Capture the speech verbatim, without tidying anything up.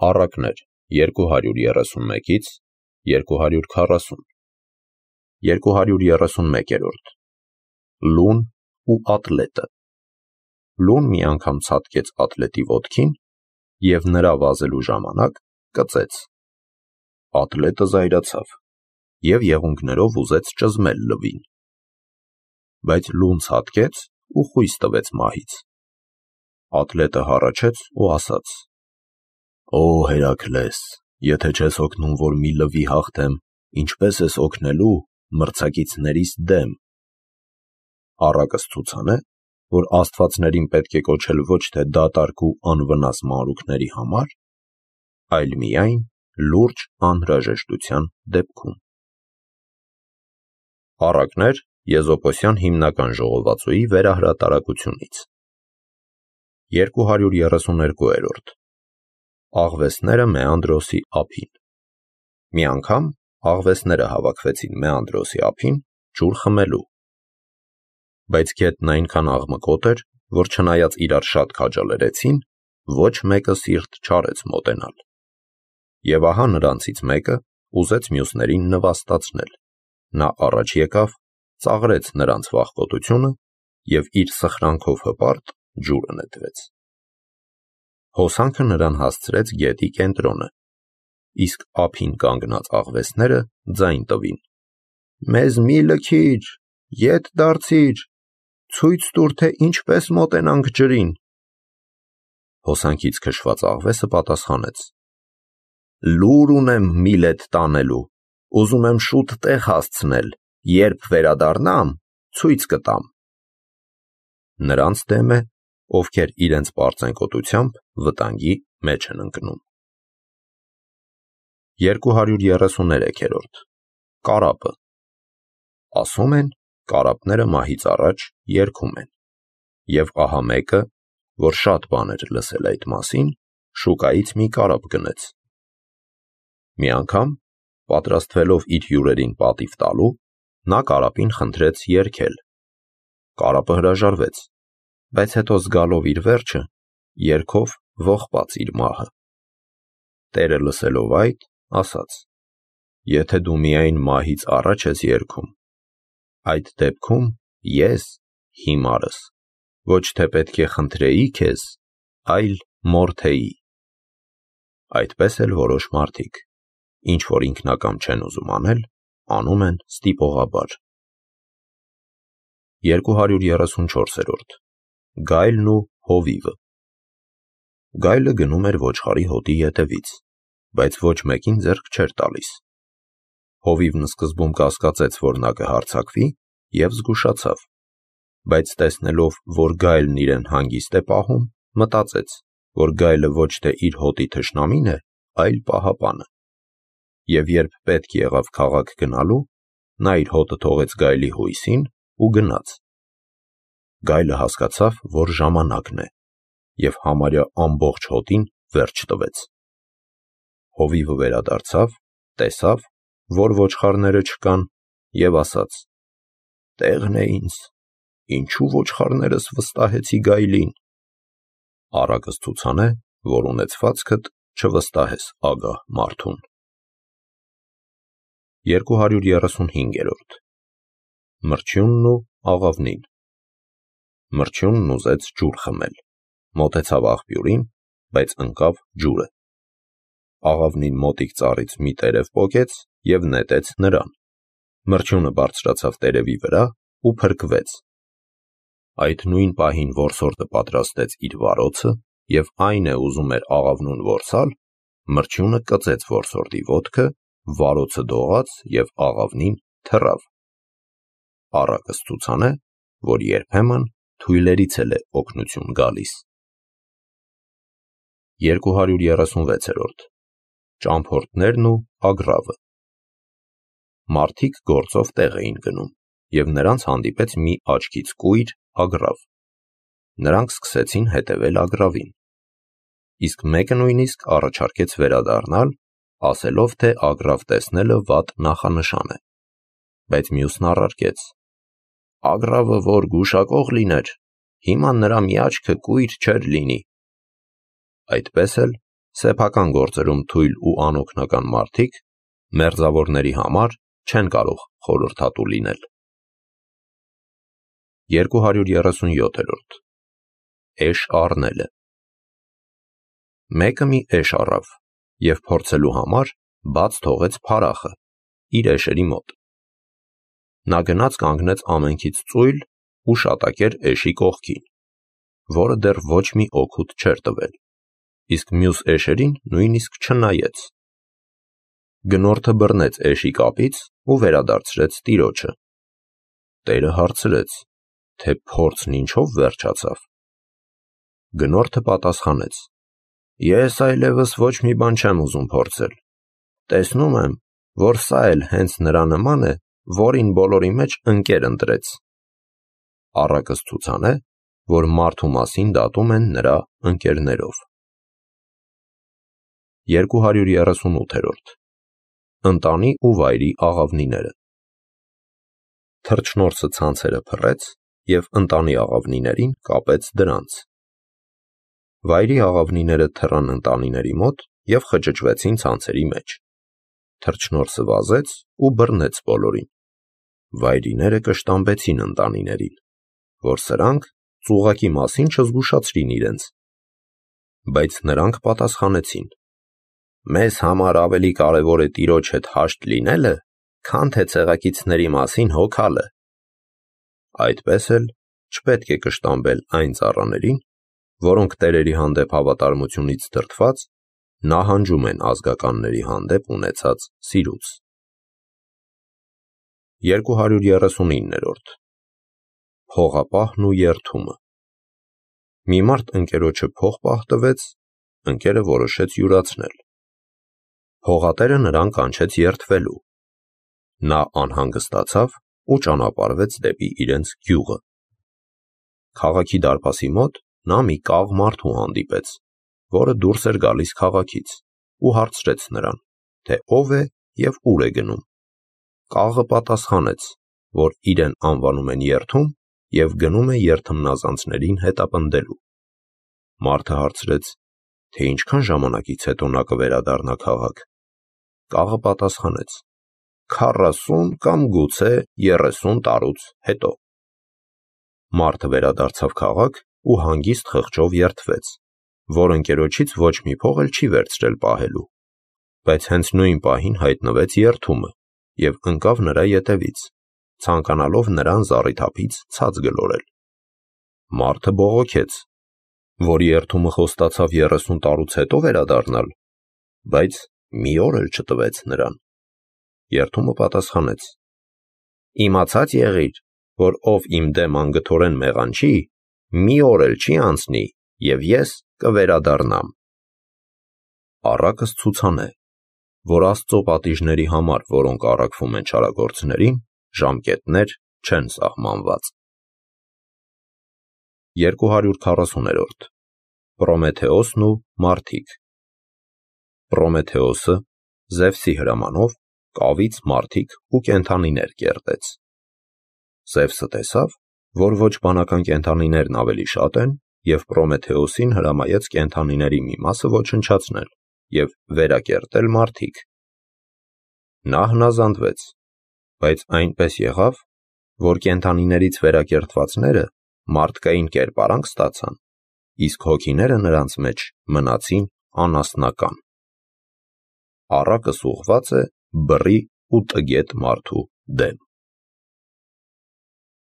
Առակներ երկու հարյուր երեսունմեկից երկու հարյուր քառասուն երկու հարյուր երեսունմեկերորդ Լուն ու ատլետը Լուն մի անգամ ցատկեց ատլետի ոտքին և նրա վազելու ժամանակ կծեց։ Ատլետը զայրացավ և եղունգներով ուզեց ճզմել լվին։ Բայց Լուն ցատկեց ու խույս տվեց մահից։ Ատլետը հառաչեց ու ասաց. «Օ Հերաքլես, եթե չես օգնում, որ մի լվի հաղթեմ, ինչպե՞ս ես օգնելու մրցակիցներիս դեմ»։ Առակս ցուցան է, որ աստվածներին պետք է կոչել ոչ թե դատարկ ու անվնաս մանրուքների համար, այլ միայն լուրջ անհրաժեշտության դեպքում։ Առակներ Եզոպոսյան հիմնական ժողովածուի վերահրատարակությունից երկու հարյուր երեսուներկուերորդ Աղվեսները Մեանդրոսի ափին Մի անգամ աղվեսները հավաքվեցին Մեանդրոսի ափին ջուր խմելու։ Բայց գետն այնքան աղմկոտ էր, որ չնայած իրար շատ քաջալերեցին, ոչ մեկը սիրտ չարեց մոտենալ։ Եվ ահա նրանցից մեկը ուզեց մյուսներին նվաստացնել։ Նա առաջ եկավ, ծաղրեց նրանց վախկոտությունը և իր սխրանքով հպարտ ջուրը նետվեց։ Հոսանքը նրան հասցրեց գետի կենտրոնը, իսկ ափին կանգնած աղվեսները ձայն տվին. «Մեզ մի լքիր, ետ դարձիր, ցույց տուր, թե ինչպես մոտենանք ջրին»։ Հոսանքից քշված աղվեսը պատասխանեց. «Լուր ունեմ Միլետ տանելու, ուզում եմ շուտ տեղ հասցնել, երբ վերադառնամ, ցույց կտամ»։ Նրանց դեմ է, ովքեր իրենց պարծենկոտությամբ վտանգի մեջ են ընկնում։ երկու հարյուր երեսուներեքերորդ Կարապը Ասում են, կարապները մահից առաջ երգում են, և ահա մեկը, որ շատ բան էր լսել այդ մասին, շուկայից մի կարապ գնեց։ Մի անգամ, պատրաստվելով իր հյուրերին պատիվ տալու, նա կարապին խնդրեց երգել։ Կարապը հրաժարվեց, բայց հետո զգալով իր վերջը, երգով ողբաց իր մահը։ Տերը լսելով այդ, ասաց. «Եթե դու միայն մահից առաջ ես երգում, այդ դեպքում ես, հիմարս, ոչ թե պետք է խնդրեի քեզ, այլ մորթեի»։ Այդպես էլ որոշ մարդիկ, ինչ որ ինքնակամ չեն ուզում անել, անում են ստիպողաբար։ երկու հարյուր երեսունչորսերորդ Գայլն ու հովիվը Գայլը գնում էր ոչխարի հոտի ետևից, բայց ոչ մեկին ձեռք չէր տալիս։ Հովիվն սկզբում կասկածեց, որ նա կհարձակվի, և զգուշացավ, բայց տեսնելով, որ գայլն իրեն հանգիստ է պահում, մտածեց, որ գայլը ոչ թե իր հոտի թշնամին է, այլ պահապանը։ Եվ երբ պետք եղավ քաղաք գնալու, նա իր հոտը թողեց գայլի հույսին ու գնաց։ Գայլը հասկացավ, որ ժամանակն է, և համարյա ամբողջ հոտին վերջ տվեց։ Հովիվը վերադարձավ, տեսավ, որ ոչխարները չկան, և ասաց. «Տեղն է ինձ, ինչու ոչխարներս վստահեցի գայլին»։ Առակս ցուցան է, որ ունեցվածքդ չվստահես ագահ մարդուն։ երկու հարյուր երեսունհինգերորդ Մրջյունն ու աղավնին Մրջյունն ուզեց ջուր խմել, մոտեցավ աղբյուրին, բայց ընկավ ջուրը։ Աղավնին մոտիկ ծառից մի տերև պոկեց և նետեց նրան։ Մրջյունը բարձրացավ տերևի վրա ու փրկվեց։ Այդ նույն պահին որսորդը պատրաստեց իր վարոցը և այն է ուզում էր աղավնուն որսալ, մրջյունը կծեց որսորդի ոտքը, վարոցը դողաց և աղավնին թռավ։ Առակս ցուցան է, որ երբեմն թույլերից էլ է օգնություն գալիս։ երկու հարյուր երեսունվեցերորդ Ճամփորդներն ու ագռավը Մարդիկ գործով տեղ էին գնում, և նրանց հանդիպեց մի աչքից կույր ագռավ։ Նրանք սկսեցին հետևել ագռավին։ Իսկ մեկը նույնիսկ առաջարկեց վերադառնալ, ասելով, թե ագռավ տեսնելը վատ նախանշան է։ Բայց մյուսն առարկեց. «Ագռավը որ գուշակող լիներ, հիմա նրա մի աչքը կույր չէր լինի»։ Այդպես էլ սեփական գործերում թույլ ու անօգնական մարդիկ մերձավորների համար չեն կարող խորհրդատու լինել։ երկու հարյուր երեսունյոթերորդ Էշ առնելը։ Մեկը մի էշ առավ և փորձելու համար բաց թողեց փարախը իր էշերի մոտ։ Նա գնաց կանգնեց ամենքից ծույլ ու շատակեր էշի կողքին, որը դեռ ոչ մի օգուտ չէր տվել, իսկ մյուս էշերին նույնիսկ չնայեց։ Գնորդը բռնեց էշի կապից ու վերադարձրեց տիրոջը։ Տերը հարցրեց, թե փորձն ինչով վերջացավ։ Գնորդը պատասխանեց. Ես այլևս ոչ մի բան չեմ ուզում փորձել։ Տեսնում եմ, որ սա էլ հենց նրա նման է, որին բոլորի մեջ ընկեր ընտրեց։ Առակս ցուցան է, որ մարդու մասին դատում են նրա ընկերներով։ երկու հարյուր երեսունութերորդ Ընտանի ու վայրի աղավնիները։ Թռչնորսը ցանցերը փռեց և ընտանի աղավնիներին կապեց դրանց։ Վայրի աղավնիները թռան ընտանիների մոտ և խճճվեցին ցանցերի մեջ։ Թռչնորսը վազեց ու բռնեց բոլորին։ Վայրիները կշտամբեցին ընտանիներին, որ սրանք ծուղակի մասին չզգուշացրին իրենց։ Բայց նրանք պատասխանեցին. Մեզ համար ավելի կարևոր է տիրոջ հետ հաշտ լինելը, քան թե ցեղակիցների մասին հոգալը։ Այդպես էլ չպետք է կշտամբել այն ծառաներին, որոնք տերերի հանդեպ հավատարմությունից դրդված նահանջում են ազգականների հանդեպ ունեցած սիրուց։ երկու հարյուր երեսունիններորդ Փողապահն ու երդումը։ Մի մարդ ընկերոջը փող պահտվեց, ընկերը որոշեց յուրացնել։ Փողատերը նրան կանչեց երդվելու։ Նա անհանգստացավ ու ճանապարհվեց դեպի իրենց գյուղը։ Քաղաքի դարպասի մոտ նա մի կաղ մարդու հանդիպեց, որը դուրս էր գալիս քաղաքից, ու հարցրեց նրան, թե ով է և ուր է գնում։ Կաղը պատասխանեց, որ իրեն անվանում են երդում և գնում է երդմնազանցներին հետապնդելու։ Մարդը հարցրեց, թե ինչքան ժամանակից հետո նա կվերադառնա քաղաք։ Կաղը պատասխանեց. քառասուն կամ գուցե երեսուն տարուց հետո։ Մարդը վերադարձավ քաղաք ու հանգիստ խղճով երդվեց, որ ընկերոջից ոչ մի փող էլ չի վերցրել պահելու, բայց հենց նույն պահին հայտնվեց երդումը և ընկավ նրա ետևից, ցանկանալով նրան զառիթափից ցած գլորել։ Մարդը բողոքեց, որ երդումը խոստացավ երեսուն տարուց հետո վերադառնալ, բայց մի օր էլ չտվեց նրան։ Երդումը պատասխանեց. Իմացած եղիր, որ ով իմ դեմ անգթորեն մեղանչի, մի օր էլ չի անցնի, և ես կվերադառնամ։ Առակս ցուցան է, որ Աստծո պատիժների համար, որոնք առաքվում են չարագործներին, ժամկետներ չեն սահմանված։ երկու հարյուր քառասուներորդ Պրոմեթեոսն ու մարդիկ։ Պրոմեթեոսը Զևսի հրամանով կավից մարդիկ ու կենդանիներ կերտեց։ Զևսը տեսավ, որ ոչ բանական կենդանիներն ավելի շատ են, և Պրոմեթեոսին հրամայեց կենդանիների մի մասը ոչնչացնել և վերակերտել մարդիկ։ Նա հնազանդվեց, բայց այնպես եղավ, որ կենդանիներից վերակերտվածները մարդկային կերպարանք ստացան, իսկ հոգիները նրանց մեջ մնացին անասնական։ Առակս ուղղված է բռի ու տգետ մարդու դեմ։